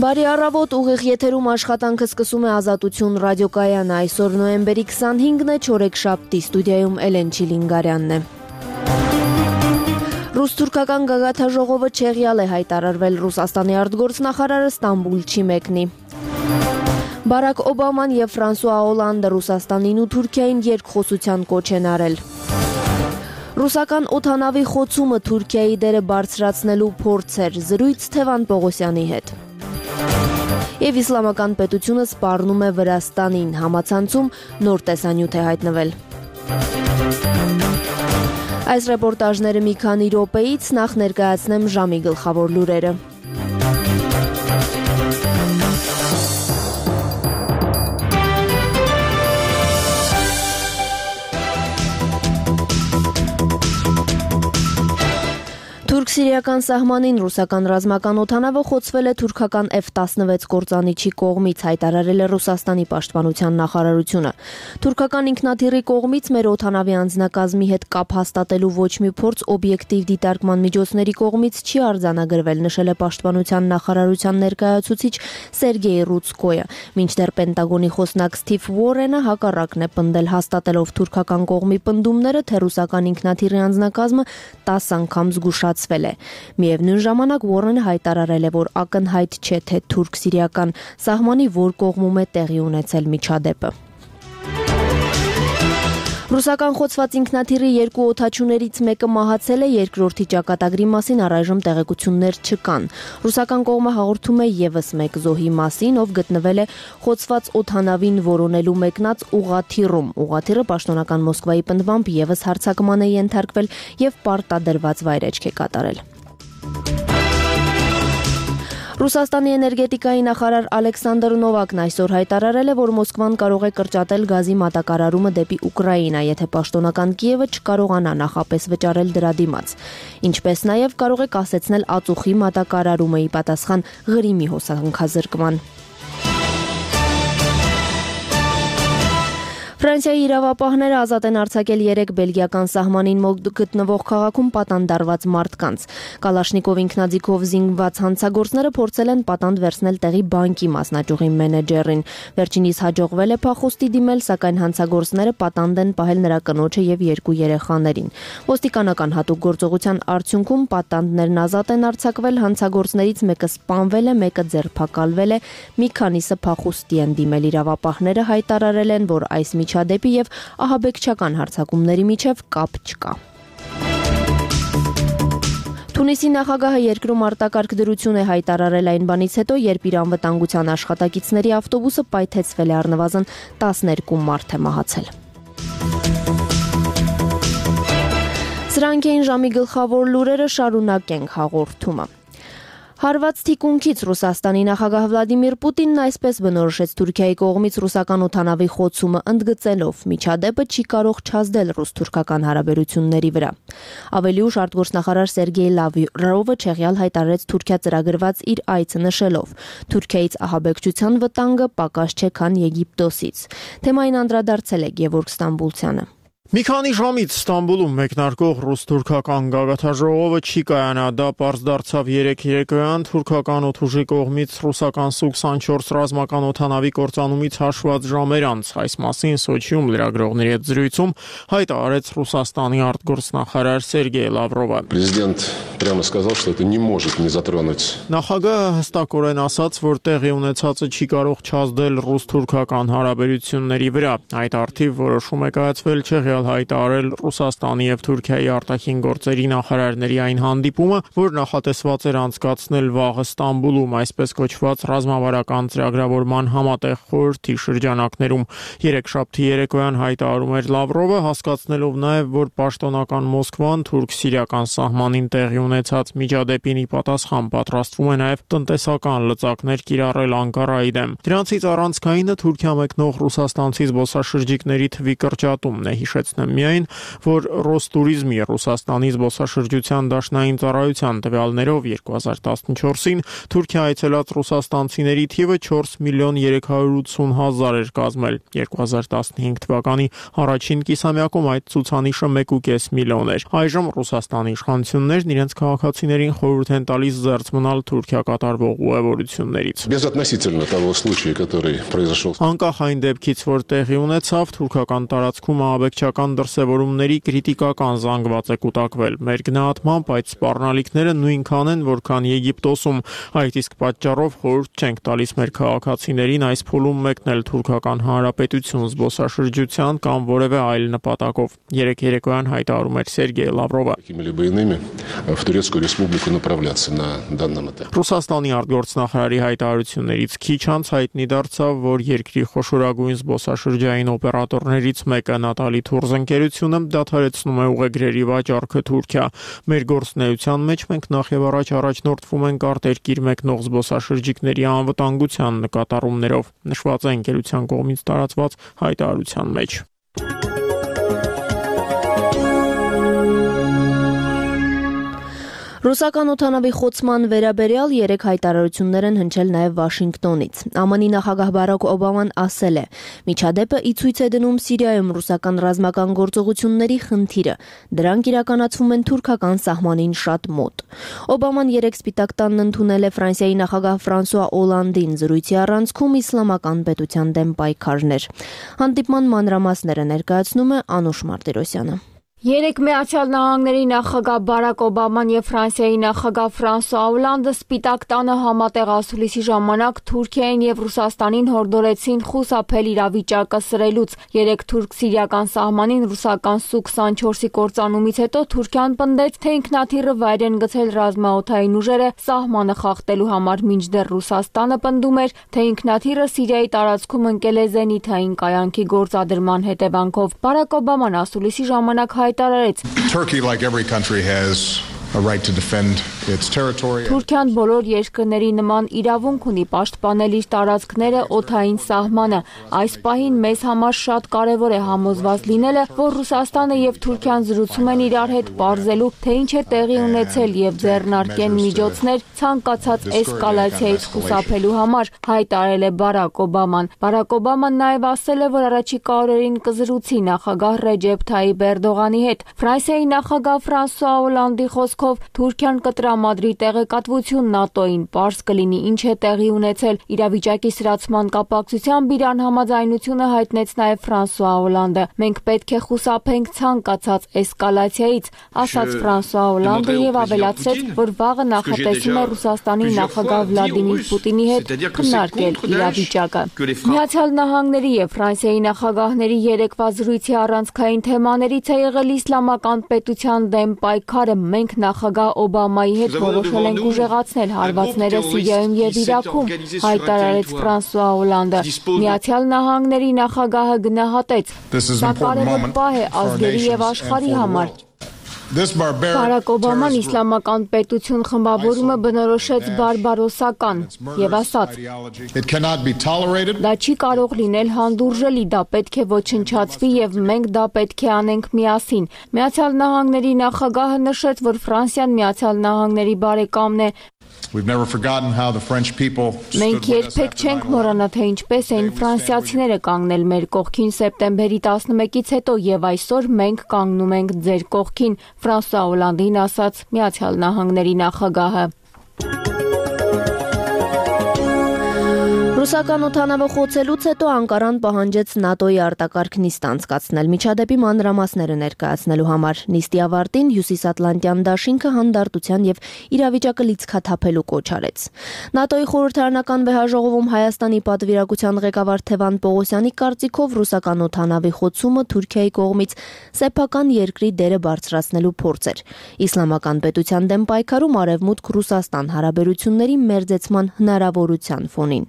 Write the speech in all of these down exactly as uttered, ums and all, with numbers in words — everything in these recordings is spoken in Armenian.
Բարի առավոտ, ուղիղ եթերում աշխատանքը սկսում է Ազատություն ռադիոկայանը, այսօր նոյեմբերի քսանհինգն է, չորեքշաբթի, ստուդիայում Էլեն Չիլինգարյանն է։ Ռուս-թուրքական գագաթաժողովը չեղյալ է հայտարարվել, Ռուսաստանի արտգործնախարարը Ստամբուլ չի մեկնի։ Բարակ Օբաման և Ֆրանսուଆ Օլանդը Ռուսաստանին ու Թուրքիային երկխոսության կոչ են արել։ Ռուսական օդանավի խոցումը Թուրքիայի դերը բարձրացնելու փորձ էր, զրույց Թևան Պողոսյանի հետ։ Եվ իսլամական պետությունը սպառնում է Վրաստանին, համացանցում նոր տեսանյութ է հայտնվել։ Այս ռեպորտաժները մի քանի րոպեից, նախ ներկայացնեմ ժամի գլխավոր լուրերը։ Թուրք-սիրիական սահմանին ռուսական ռազմական օդանավը խոցվել է թուրքական Էֆ տասնվեց կործանիչի կողմից, հայտարարել է Ռուսաստանի պաշտպանության նախարարությունը։ Թուրքական ինքնաթիռի կողմից մեր օդանավի անձնակազմի հետ կապ հաստատելու ոչ մի փորձ օբյեկտիվ դիտարկման միջոցների կողմից չի արձանագրվել, նշել է պաշտպանության նախարարության ներկայացուցիչ Սերգեյ Ռուցկոյը։ Մինչդեռ Պենտագոնի խոսնակ Սթիվ Ուորենը հակառակն է պնդել, հաստատելով թուրքական կողմի պնդումները, թե ռուսական ինքնաթիռի անձնակազմը տասը անգամ զգուշացվել է։ Միևնույն ժամանակ Ուորենը հայտարարել է, որ ակնհայտ չէ, թե թուրք-սիրիական սահմանի որ կողմում է տեղի ունեցել միջադեպը։ Ռուսական խոցված ինքնաթիռի երկու օդաչուներից մեկը մահացել է, երկրորդի ճակատագրի մասին առայժմ տեղեկություններ չկան։ Ռուսական կողմը հաղորդում է ևս մեկ զոհի մասին, ով գտնվել է խոցված օդանավին որոնելու մեկնած ուղղաթիռում։ Ուղղաթիռը պաշտոնական Մոսկվայի պնդմամբ ևս հարձակման է ենթարկվել եւ պարտադրված վայրէջք է կատարել։ Ռուսաստանի էներգետիկայի նախարար Ալեքսանդր Նովակն այսօր հայտարարել է, որ Մոսկվան կարող է կրճատել գազի մատակարարումը դեպի Ուկրաինա, եթե պաշտոնական Կիևը չկարողանա նախապես վճարել դրա դիմաց։ Ինչպես նաև կարող է կասեցնել ածուխի մատակարարումը ի պատասխան Ղրիմի հոսանքազրկման։ Ֆրանսիայի իրավապահները ազատ են արձակել երեք բելգիական սահմանին մոտ գտնվող քաղաքում պատանդարված մարդկանց։ Կալաշնիկով ինքնաձիգով զինված հանցագործները փորձել են պատանդ վերցնել տեղի բանկի մասնաճյուղի մենեջերին։ Վերջինիս հաջողվել է փախուստի դիմել, սակայն հանցագործները պատանդ են պահել նրա կնոջը եւ երկու երեխաներին։ Ոստիկանական հատուկ գործողության արդյունքում պատանդներն ազատ են արձակվել, հանցագործներից մեկը սպանվել է, մեկը ձերբակալվել է, մի քանիսը փախուստի են դիմել։ Իրավապահները հայտարարել են, որ այս միջադեպի եւ ահաբեկչական հարձակումների միջև կապ չկա։ Թունիսի նախագահը երկրում արտակարգ դրություն է հայտարարել այն բանից հետո, երբ իր անվտանգության աշխատակիցների ավտոբուսը պայթեցվել է, առնվազն տասներկու մարդ է մահացել։ Սրանք էին ժամի գլխավոր լուրերը, շարունակենք հաղորդումը։ Հարված թիկունքից Ռուսաստանի նախագահ Վլադիմիր Պուտինն այսպես բնորոշեց Թուրքիայի կողմից ռուսական օդանավի խոցումը, ընդգծելով միջադեպը չի կարող չազդել ռուս-թուրքական հարաբերությունների վրա։ Ավելի ուշ արտգործնախարար Սերգեյ Լավրովը չեղյալ հայտարարեց Թուրքիա ծրագրված իր այցը, նշելով. Թուրքիայից ահաբեկչության վտանգը պակաս չէ, քան Եգիպտոսից։ Թեմային անդրադարձել է Գևորգ Ստամբուլցյանը։ Մի քանի ժամից Ստամբուլում մեկնարկող ռուս-թուրքական գագաթաժողովը չի կայանա, դա պարզ դարձավ երեկ երեկոյան թուրքական օդուժի կողմից ռուսական Սու քսանչորս ռազմական օդանավի կործանումից հաշված ժամեր անց։ Այս մասին Սոչիում լրագրողների հետ զրույցում հայտարարեց Ռուսաստանի արտգործնախարար Սերգեյ Լավրովը։ Президент прямо сказал, что это не может не затронуть. Նախագահը հստակորեն ասաց, որ տեղի ունեցածը չի կարող չազդել ռուս-թուրքական հարաբերությունների վրա։ Այդ արդիվ որոշում է կայացվել չեղյալ հայտարարել Ռուսաստանի եւ Թուրքիայի արտաքին գործերի նախարարների այն հանդիպումը, որ նախատեսված էր անցկացնել վաղը Ստամբուլում, այսպես կոչված ռազմավարական ծրագրավորման համատեղ խորհրդի շրջանակներում։ Երեքշաբթի երեկոյան հայտարարում էր Լավրովը, հասկացնելով նաեւ, որ պաշտոնական Մոսկվան թուրք-սիրիական սահմանին տեղի ունեցած միջադեպին ի պատասխան պատրաստվում է նաեւ տնտեսական լծակներ կիրառել Անկարայի դեմ։ Դրանցից առանցքայինը Թուրքիա մեկնող ռուսաստանցի զբոսաշրջիկների թվի կրճատումն է, հիշեց Միայն, որ Ռոստուրիզմի Ռուսաստանի զբոսաշրջության դաշնային ծառայության տվյալներով երկու հազար տասնչորսին Թուրքիա այցելած ռուսաստանցիների թիվը չորս միլիոն երեք հարյուր ութսուն հազար էր կազմել։ երկու հազար տասնհինգ թվականի առաջին կիսամյակում այդ ցուցանիշը մեկ ու կես միլիոն էր։ Այժմ Ռուսաստանի իշխանություններն իրենց քաղաքացիներին խորհուրդ են տալիս զերծ մնալ Թուրքիա կատարվող ուղևորություններից։ Безотносительно того случая, который произошел. Անկախ այն դեպքից, որ տեղի ունեցավ, թուրքական տարածքում ահաբեկչական դրսևորումների քրիտիկական զանգված է կուտակվել։ Մեր գնահատմամբ այդ սպառնալիքները նույնքան են, որքան Եգիպտոսում, այդ իսկ պատճառով խորհուրդ չենք տալիս մեր քաղաքացիներին այս փուլում մեկնել Թուրքական Հանրապետություն զբոսաշրջության կամ որևէ այլ նպատակով։ Երեք երեկոյան հայտարարում էր Սերգեյ Լավրովը։ Какими-либо иными в Турецкую республику направляться на данном этапе. Ռուսաստանի արտգործնախարարի հայտարարություններից քիչ անց հայտնի դարձավ, որ երկրի խոշորագույն զբոսաշրջային օպերատորներից մեկը Նատալի Թուրզ ընկերությունը դադարեցնում է ուղեգրերի վաճառքը Թուրքիա։ Մեր գործունեության մեջ մենք նախ եւ առաջ առաջնորդվում ենք արտերկիր մեկնող զբոսաշրջիկների անվտանգության նկատառումներով, նշված է ընկերության կողմից տարածված հայտարարության մեջ։ Ռուսական օդանավի խոցման վերաբերյալ երեք հայտարարություններ են հնչել նաև Վաշինգտոնից։ ԱՄՆ-ի նախագահ Բարաք Օբաման ասել է. «Միջադեպը ի ցույց է դնում Սիրիայում ռուսական ռազմական գործողությունների խնդիրը։ Դրանք իրականացվում են թուրքական սահմանին շատ մոտ»։ Օբաման երեք Սպիտակ տանն ընդունել է Ֆրանսիայի նախագահ Ֆրանսուଆ Օլանդին զրույցի առանցքում իսլամական պետության դեմ պայքարներ։ Հանդիպման մանրամասները ներկայացնում է Անուշ Մարտիրոսյանը։ Երեք Միացյալ Նահանգների նախագահ Բարաք Օբաման եւ Ֆրանսիայի նախագահ Ֆրանսուଆ Օլանդը Սպիտակ տանը համատեղ ասուլիսի ժամանակ Թուրքիային եւ Ռուսաստանին հորդորեցին խուսափել իրավիճակը սրելուց։ Երեք թուրք-սիրիական սահմանին ռուսական Սու քսանչորսի կործանումից հետո Թուրքիան պնդեց, թե ինքնաթիռը վայր են գցել ռազմաօդային ուժերը սահմանը խախտելու համար, մինչդեռ Ռուսաստանը պնդում էր, թե ինքնաթիռը Սիրիայի տարածքում ընկել է զենիթային կայանքի գործադրման հետևանքով։ Բարաք Օբաման ասուլիսի ժամանակ Turkey, like every country, has a right to defend its territory. Թուրքիան բոլոր երկրների նման իրավունք ունի պաշտպանել իր տարածքները, օդային սահմանը։ Այս պահին մեզ համար շատ կարևոր է համոզված լինելը, որ Ռուսաստանը եւ Թուրքիան զրուցում են իրար հետ պարզելու, թե ինչ է տեղի ունեցել եւ ձեռնարկեն միջոցներ ցանկացած էսկալացիայից խուսափելու համար, հայտարարել է Բարաք Օբաման։ Բարաք Օբաման նաեւ ասել է, որ առաջիկա օրերին կզրուցի նախագահ Ռեջեփ Թայիպ Էրդողանի հետ։ Ֆրանսիայի նախագահ Ֆրանսուଆ Օլանդի խոսքով Թուրքիան կտրամադրի տեղեկատվություն ՆԱՏՕ-ին, պարզ կլինի ինչ է տեղի ունեցել։ Իրավիճակի սրացման կապակցությամբ իրան համաձայնությունը հայտնեց նաև Ֆրանսուଆ Օլանդը։ Մենք պետք է խուսափենք ցանկացած էսկալացիայից, ասաց Ֆրանսուଆ Օլանդը եւ ավելացրեց, որ վաղը նախատեսում է Ռուսաստանի նախագահ Վլադիմիր Պուտինի հետ քննարկել իրավիճակը։ Միացյալ Նահանգների եւ Ֆրանսիայի նախագահների երեկվա զրույցի առանցքային թեմաներից է եղել իսլամական պետության դեմ պայքարը։ Մենք նախագահ Օբամայի հետ որոշել ենք ուժեղացնել հարվածները Սիրիայում եւ Իրաքում, հայտարարեց Ֆրանսուଆ Օլանդը։ Միացյալ Նահանգների նախագահը գնահատեց. «Սա կարևոր պահ է ազգերի եւ աշխարհի համար»։ Բարաք Օբաման իսլամական պետություն խմբավորումը բնորոշեց բարբարոսական եւ ասաց. «Դա չի կարող լինել հանդուրժելի, դա պետք է ոչնչացվի եւ մենք դա պետք է անենք միասին»։ Միացյալ Նահանգների նախագահը նշեց, որ Ֆրանսիան Միացյալ Նահանգների բարեկամն է։ Մենք երբեք չենք մոռանա, թե ինչպես էին ֆրանսիացիները կանգնել մեր կողքին սեպտեմբերի տասնմեկից հետո եւ այսօր մենք կանգնում ենք ձեր կողքին, Ֆրանսուଆ Օլանդին ասաց Միացյալ Նահանգների նախագահը։ Ռուսական օդանավը խոցելուց հետո Անկարան պահանջեց ՆԱՏՕ-ի արտակարգ նիստ անցկացնել միջադեպի մանրամասները ներկայացնելու համար։ Նիստի ավարտին Հյուսիսատլանտյան դաշինքը հանդարտության եւ իրավիճակը լիցքաթափելու կոչ արեց։ ՆԱՏՕ-ի խորհրդարանական վեհաժողովում Հայաստանի պատվիրակության ղեկավար Թևան Պողոսյանի կարծիքով ռուսական օդանավի խոցումը Թուրքիայի կողմից սեփական երկրի դերը բարձրացնելու փորձ էր։ Իսլամական պետության դեմ պայքարում Արևմուտք-Ռուսաստան հարաբերությունների մերձեցման հնարավորության ֆոնին։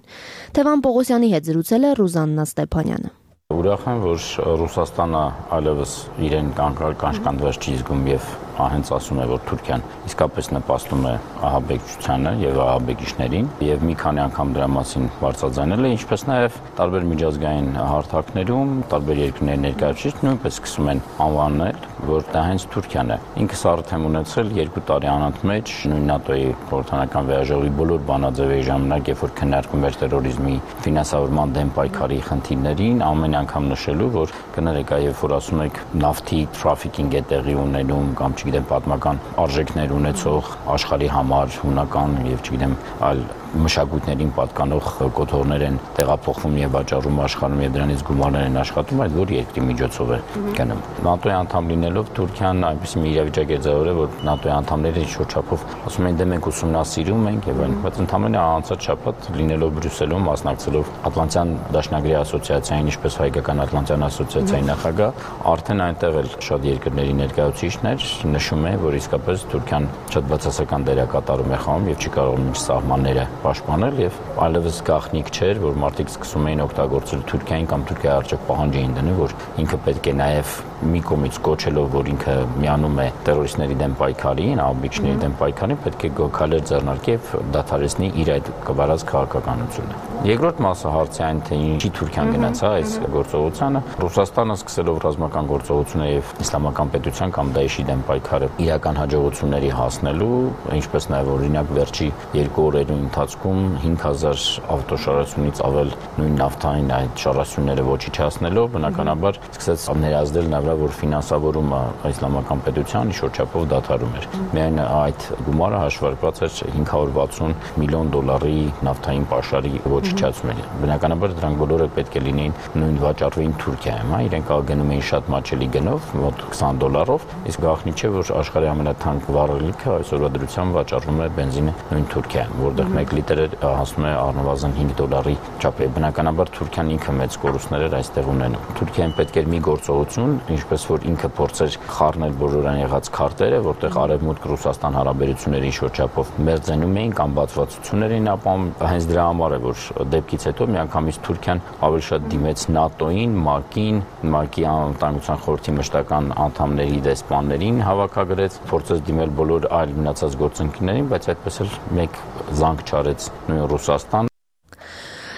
Թևան Պողոսյանի հետ զրուցել է Ռուզաննա Ստեփանյանը։ Ուրախ եմ, որ Ռուսաստանը այլևս իրեն կանչկանդված չի զգում եւ հենց ասում է, որ Թուրքիան իսկապես նպաստում է ահաբեկչությանը եւ ահաբեկիչներին եւ մի քանի անգամ դրա մասին բարձրաձայնել է, ինչպես նաեւ տարբեր միջազգային հարթակներում տարբեր երկրների ներկայացուցիչ նույնպես սկսում են անվանել, որ դա հենց Թուրքիան է։ Ինքս արդեն եմ ունեցել երկու տարի անընդմեջ նույն ՆԱՏՕ-ի խորհրդարանական վեհաժողովի բոլոր բանաձևերի ժամանակ, երբ որ քննարկում էր տերորիզմի ֆինանսավորման դեմ պայքարի խնդիրներին, ամեն անգամ նշելու, որ կներեք, այ երբ որ ասում եք նավթի թրաֆիկինգ է տեղի ունենում կամ չգիտեմ, պատմական արժեքներ ունեցող աշխարհի համար հունական եւ չգիտեմ, այլ մշակույթներին պատկանող կոթողներ են տեղափոխվում եւ վաճառում աշխարհում եւ դրանից գումարներ են աշխատում, այդ որ երկրի միջոցով է գնում։ ՆԱՏՕ-ի անդամ լինելով Թուրքիան այնպեսի մի իրավիճակ է ձևավորել, որ ՆԱՏՕ-ի անդամները ինչ-որ չափով ասում են դե մենք ուսումնասիրում ենք եւ այլն, բայց ընդհանրապես անցած շաբաթ լինելով Բրյուսելում, մասնակցելով Ատլանտյան դաշնագրի ասոցիացիային, ինչպես Հայկական Ատլանտյան ասոցիացիայի նախագահ, արդեն այնտեղ էլ շատ երկրների ներկայացուցիչներ նշում են, որ իսկապես Թուրքիան շատ բացասական դերակատարում է խաղում եւ չի կարող իր սահմանները պաշտպանել եւ այլևս գաղտնիք չէր, որ մարդիկ սկսում էին օգտագործել Թուրքիային կամ Թուրքիայի արժեք պահանջ էին դնում, որ ինքը պետք է նաեւ մի կողմից կոչելով, որ ինքը միանում է տերորիստների դեմ պայքարին, աբիջների դեմ պայքարին, պետք է գոքալեր ձեռնարկի եւ դադարեցնի իր այդ կվարած քաղաքականությունը։ Երկրորդ մասը հարցի այն, թե ինչի Թուրքիան գնաց այս գործողությանը, Ռուսաստանը սկսելով ռազմական գործողությունը եւ իսլամական պետության կամ Դաեշի դեմ պայքարը իրական հաջողությունների հասնելու, ինչպես նաեւ օրինակ վերջի երկու օրերի ընթացքում հինգ հազար ավտոշարությունից ավել նույն նավթային այդ շարասյունները ոչնչացնելով, բնականաբար սկսեց ներազդել նա որ ֆինանսավորումը իսլամական պետության շրջապով դադարում էր։ Միայն այդ գումարը հաշվարկված էր հինգ հարյուր վաթսուն միլիոն դոլարի նավթային պաշարի ոչնչացումին։ Բնականաբար դրանք բոլորը պետք է լինեին նույն վաճառվեին Թուրքիայում, հա, իրենք գնում էին շատ մաչելի գնով, մոտ քսան դոլարով, իսկ գաղտնի չէ, որ աշխարհի ամենաթանկ վառելիքը այսօրվա դրությամբ վաճառվում է բենզինը նույն Թուրքիայում, որտեղ մեկ լիտրը հասնում է առնվազն հինգ դոլարի չափի։ Բնականաբար Թուրքիան ինքը մեծ կորուստներ էր այստեղ ունենում։ Թուրքիային պետք էր մի գործողություն, ինչպես որ ինքը փորձեր խառնել բոլորան եղած քարտերը, որտեղ Արևմուտք-Ռուսաստան հարաբերությունների շրջապով մերձենում էին կամ բացվածություններ էին ապահովում, հենց դրա համար է, որ դեպքից հետո միանգամից Թուրքիան ավելի շատ դիմեց ՆԱՏՕ-ին, ՄԱԿ-ին, ՄԱԿ-ի անվտանգության խորհրդի մշտական անդամների դեսպաններին հավաքագրեց, փորձեց դիմել բոլոր այլ մնացած գործընկերներին, բայց այդպես էլ մեկ զանգ չարեց նույն Ռուսաստան։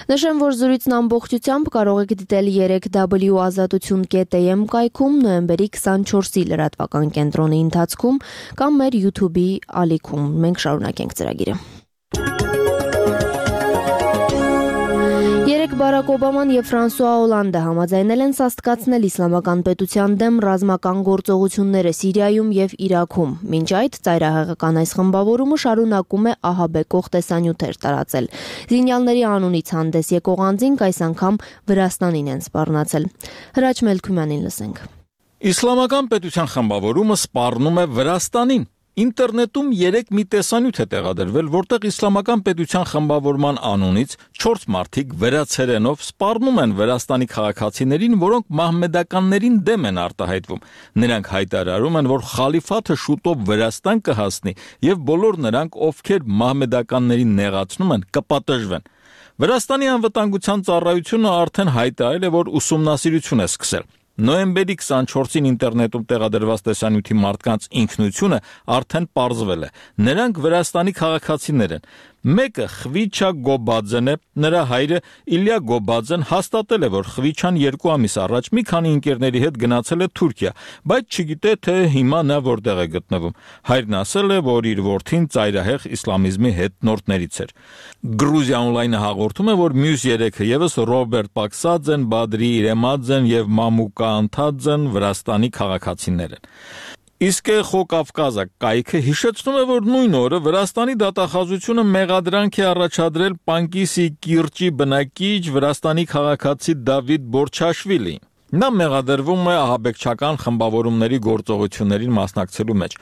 Նշեմ, որ զրույցն ամբողջությամբ կարող եք դիտել երեք w ազատություն կետ a m կայքում նոյեմբերի քսանչորսի լրատվական կենտրոնի ընթացքում կամ մեր YouTube-ի ալիքում։ Մենք շարունակենք ծրագիրը։ Երեկ Բարակ Օբաման եւ Ֆրանսուଆ Օլանդը համաձայնել են սաստկացնել իսլամական պետության դեմ ռազմական գործողությունները Սիրիայում եւ Իրաքում։ Մինչ այդ ծայրահեղական այս խմբավորումը շարունակում է ահաբեկող տեսանյութեր տարածել։ Զինյալների անունից հանդես եկող անձինք այս անգամ Վրաստանին են սպառնացել։ Հրաչ Մելքումյանին լսենք։ Իսլամական պետության խմբավորումը սպառնում է Վրաստանին։ Ինտերնետում երեք մի տեսանյութ է տեղադրվել, որտեղ իսլամական պետության խմբավորման անունից չորս մարդիկ վերացերենով սպառնում են Վրաստանի քաղաքացիներին, որոնք մահմեդականներին դեմ են արտահայտվում։ Նրանք հայտարարում են, որ խալիֆաթը շուտով Վրաստան կհասնի եւ բոլոր նրանք, ովքեր մահմեդականներին նեղացնում են, կպատժվեն։ Վրաստանի անվտանգության ծառայությունը արդեն հայտարարել է, որ ուսումնասիրություն է սկսել։ Նոյեմբերի քսանչորսին ինտերնետում տեղադրված տեսանյութի մարդկանց ինքնությունը արդեն պարզվել է։ Նրանք Վրաստանի քաղաքացիներ են։ Մեկը Խվիչա Գոբաձեն է, նրա հայրը Իլյա Գոբաձեն հաստատել է, որ Խվիչան երկու ամիս առաջ մի քանի ընկերների հետ գնացել է Թուրքիա, բայց չգիտե, թե հիմա նա որտեղ է գտնվում։ Հայրն ասել է, որ իր որդին ծայրահեղ իսլամիզմի հետնորդներից էր։ Գրուզիա օնլայնը հաղորդում է, որ մյուս երեքը եւս Ռոբերտ Պաքսաձեն, Բադրի Իրեմաձեն եւ Մամուկա Անթաձեն Վրաստանի քաղաքացիներ են։ Իսկ Խոկավկազա կայքը հիշեցնում է, որ նույն օրը Վրաստանի դատախազությունը մեղադրանք է առաջադրել Պանկիսի կիրճի բնակիչ Վրաստանի քաղաքացի Դավիթ Բորչաշվիլին։ Նա մեղադրվում է ահաբեկչական խմբավորումների գործողություններին մասնակցելու մեջ։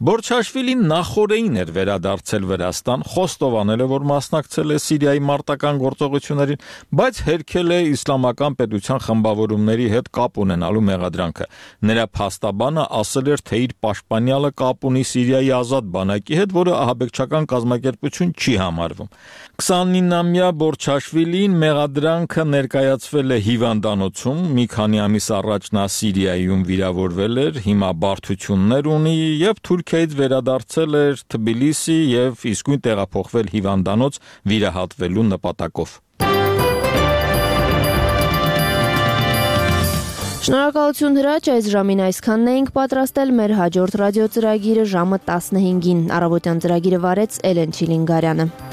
Բորչաշվիլին նախորդին էր վերադարձել Վրաստան, խոստովանել է, որ մասնակցել է Սիրիայի մարտական գործողություններին, բայց հերքել է իսլամական պետության խմբավորումների հետ կապ ունենալու մեղադրանքը։ Նրա փաստաբանը ասել էր, թե իր պաշտպանյալը կապ ունի Սիրիայի ազատ բանակի հետ, որը ահաբեկչական կազմակերպություն չի համարվում։ քսանինամյա Բորչաշվիլին մեղադրանքը ներկայացվել է հիվանդանոցում, մի քանի ամիս առաջ նա Սիրիայում վիրավորվել էր, հիմա բարդություններ ունի եւ Թուրքիայից վերադարձել էր Թբիլիսի եւ իսկույն տեղափոխվել հիվանդանոց վիրահատվելու նպատակով։ Շնորհակալություն Հրաչ, այս ժամին այսքանն էինք պատրաստել, մեր հաջորդ ռադիոծրագիրը ժամը տասնհինգին։ Առավոտյան ծրագիրը վարեց Էլեն Չիլինգարյանը։